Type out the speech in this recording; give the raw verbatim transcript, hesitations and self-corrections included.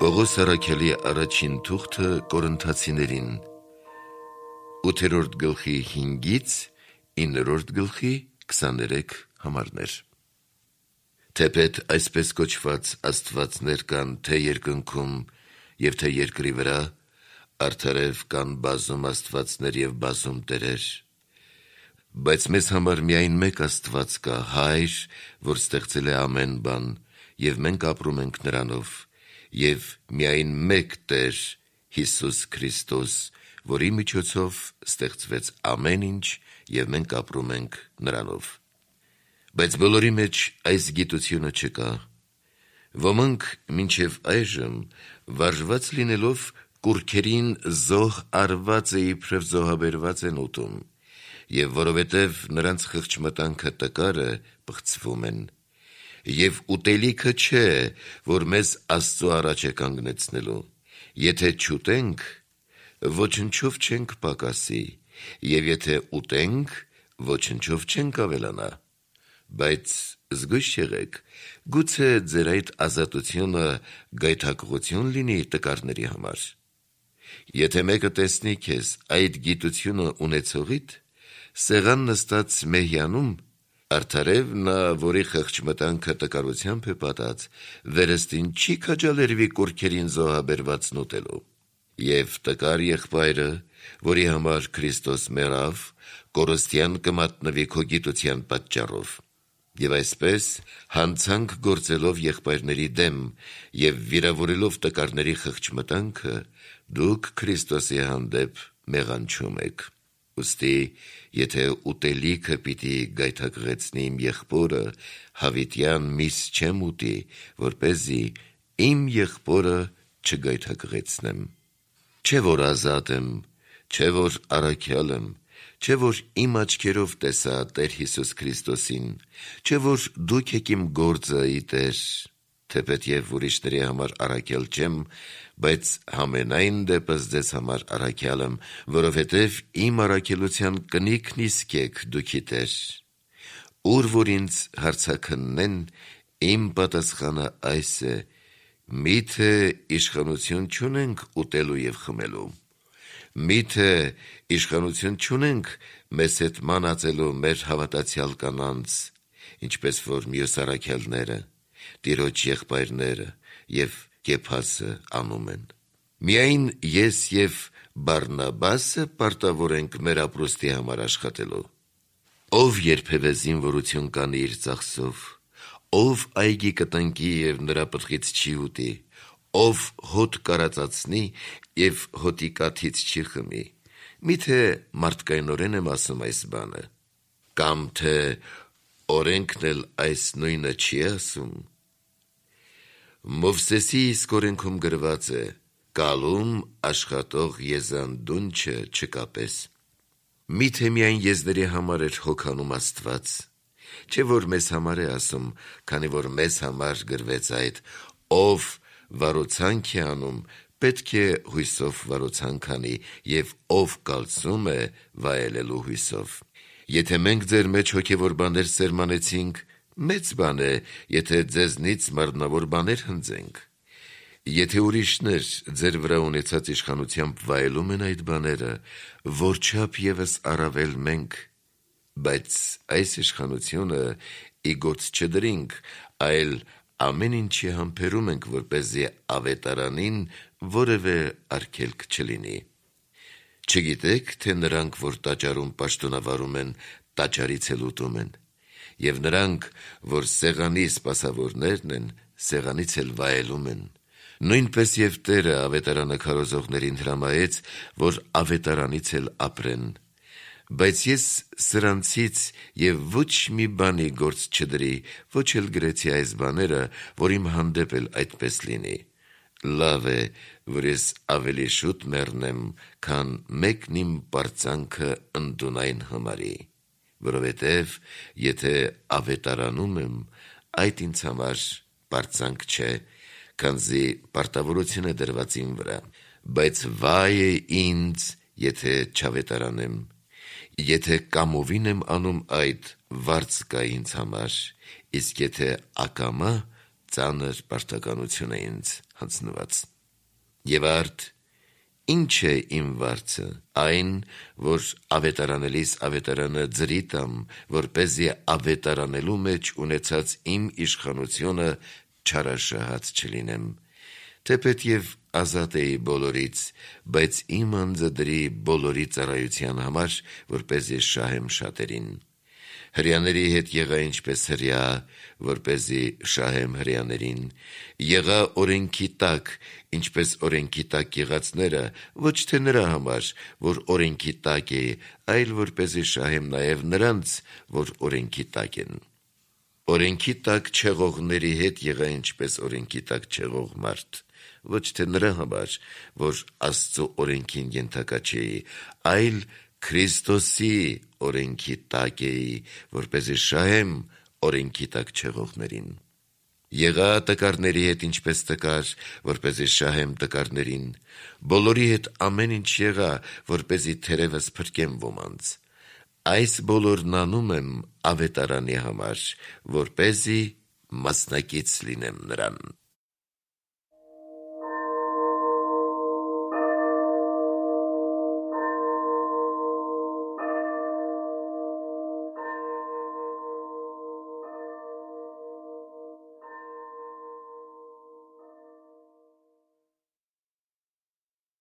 Պողոս առաքյալի առաջին թուղթը Կորինթացիներին, ութերորդ գլխի հինգից իններորդ գլխի քսաներեք համարներ։ Թեպետ այսպես կոչված աստվածներ կան թե երկնքում և թե երկրի վրա, արդարև կան բազում աստվածներ և բազում տերեր, բայց մեզ համար միայն մեկ Աստված կա, Հայր, որ ստեղծել է ամեն բան, և մենք ապրում ենք նրանով, և միայն մեկ Տեր, Հիսուս Քրիստոս, որի միջոցով ստեղծվեց ամեն ինչ, և մենք ապրում ենք նրանով։ Բայց բոլորի մեջ այս գիտությունը չկա։ Ոմանք մինչև այժմ վարժված լինելով կուռքերին զոհ արված է իբրև զոհաբերված են ուտում, և որովհետև նրանց խղճմտանքը տկար է, պղծվում են, և ուտելիքը չէ, որ մեզ Աստծու առաջ է կանգնեցնելու, եթե չուտենք, ոչնչով չենք պակասի, և եթե ուտենք, ոչնչով չենք ավելանա, բայց զգույշ եղեք, գուցե ձեր այդ ազատությունը գայթակղություն լինի տկարների համար։ Եթե մեկը տեսնի քեզ այդ գիտությունը ունեցողիդ, սեղան նստած մեհյանում, արդարև նա, որի խղճմտանքը տկարությամբ է պատած, վերստին չի քաջալերվի կուռքերին զոհաբերվածն ուտելու։ Եվ տկար եղբայրը, որի համար Քրիստոս մեռավ, կորստյան կմատնվի քո գիտության պատճառով։ Եվ այսպես, հանցանք գործելով եղբայրների դեմ և վիրավորելով տկարների խղճմտանքը, դուք Քրիստոսի հանդեպ մեղանչում եք։ Ուստի, եթե ուտելիքը պիտի գայթակղեցնի իմ եղբորը, հավիտյան միս չեմ ուտի, որպեսզի իմ եղբորը չգայթակղեցնեմ։ Չէ՞ որ ազատ եմ, չէ՞ որ առաքյալ եմ, չէ՞ որ իմ աչքերով տեսա Տեր Հիսուս Քրիստոսին, չէ՞ որ դուք եք իմ գործը ի Տեր, թեպետ և ուրիշների համար առաքյալ չեմ, բայց համենայն դեպս ձեզ համար առաքյալ եմ, որովհետև իմ առաքելության կնիքն իսկ եք դուք ի Տեր։ Ուր որ ինձ հարցաքննեն, իմ պատասխանը այս է. միթե իշխանություն չունենք ուտելու և խմելու, միթե իշխանություն չունենք մեզ հետ մանածելու մեր հավատացյալ կանանց, ինչպես որ մյուս առաքյալները, տիրոջ եղբայրները և Կեփասը անում են։ Միայն ես և Բարնաբասը պարտավոր ենք մեր ապրուստի համար աշխատելու։ Ով երբևէ զինվորություն կանի իր ծախսով, ով այգի կտնկի և նրա պտղից չի ուտի, ով հոտ կարածացնի և հոտի կաթից չի խմի, միթե մարդկայնորեն եմ ասում այս բանը, կամ թե օրենքն էլ այս նույնը չի ասում։ Մովսեսի իսկ օրենքում գրված է. «Կալում աշխատող եզան դունչը չկապես»։ Միթե միայն եզների համար էր հոգանում Աստված, չէ՞ որ մեզ համար է ասում, քանի որ մեզ համար գրվեց այդ. «Ով վարուցանք է անում, պետք է հույսով վարուցանք անի, և ով կալցում է, վայելելու հույսով»։ Եթե մենք ձեր մեջ հոգևոր բաներ սերմանեցինք, մեծ բան է, եթե ձեզնից մարմնավոր բաներ հնձենք։ Եթե ուրիշներ ձեր վրա ունեցած իշխանությամբ վայելում են այդ բաները, որչափ ևս առավել մենք, բայց այս իշխանությունը ի գործ չդրինք, այլ ամեն ինչի համբերում ենք, որպեսզի ավետարանին որևէ արգելք չլինի։ Չգիտե՞ք, թե նրանք, որ տաճարում պաշտոնավարում են, տաճարից էլ ուտում են, և նրանք, որ սեղանի սպասավորներն են, սեղանից էլ վայելում են։ Նույնպես և Տերը ավետարանը քարոզողներին հրամայեց, որ ավետարանից էլ ապրեն։ Բայց ես սրանցից և ոչ մի բանի գործ չդրի, ոչ էլ գրեցի այս բաները, որ իմ հանդեպ էլ այդպես լինի։ Լավ է, որ ես ավելի շուտ մեռնեմ, քան մեկն իմ պարծանքը ընդունայն համարի, որովհետև եթե ավետարանում եմ, այդ ինձ համար պարծանք չէ, քանզի պարտավորություն է դրված իմ վրա, բայց վայ է ինձ, եթե չավետարանեմ։ Եթե կամովին եմ անում այդ, վարձ կա ինձ համար, իսկ եթե ակամա, ծանր պարտականություն է ինձ հանձնված։ Եվ արդ ինչ է իմ վարձը, այն, որ ավետարանելիս ավետարանը ձրի տամ, որպեսզի ավետարանելու մեջ ունեցած իմ իշխանությունը չարաշահած չլինեմ, թեպետ և ազատ էի բոլորից, բայց իմ անձը դրի բոլորի ծառայության համար, որպեսզի շահեմ շատերին։ Հրեաների հետ եղա ինչպես հրեա, որպեսզի շահեմ հրեաներին, եղա օրենքի տակ, ինչպես օրենքի տակ եղածները, ոչ թե նրա համար, որ օրենքի տակ է, այլ որպեսզի շահեմ նաև նրանց, որ օրենքի տակ են։ Օրենքի տակ չեղողների հետ եղա ինչպես օրենքի տակ չեղող մարդ, ոչ թե նրա համար, որ Աստծո օրենքին ենթակա չէի, այլ Քրիստոսի օրենքի տակ էի, որպեսզի շահեմ օրենքի տակ չեղողներին։ Եղա տկարների հետ ինչպես տկար, որպեսզի շահեմ տկարներին, բոլորի հետ ամեն ինչ եղա, որպեսզի թերևս փրկեմ ոմանց։ Այս բոլորն անում եմ ավետարանի համար, որպեսզի մասնակից լինեմ նրան։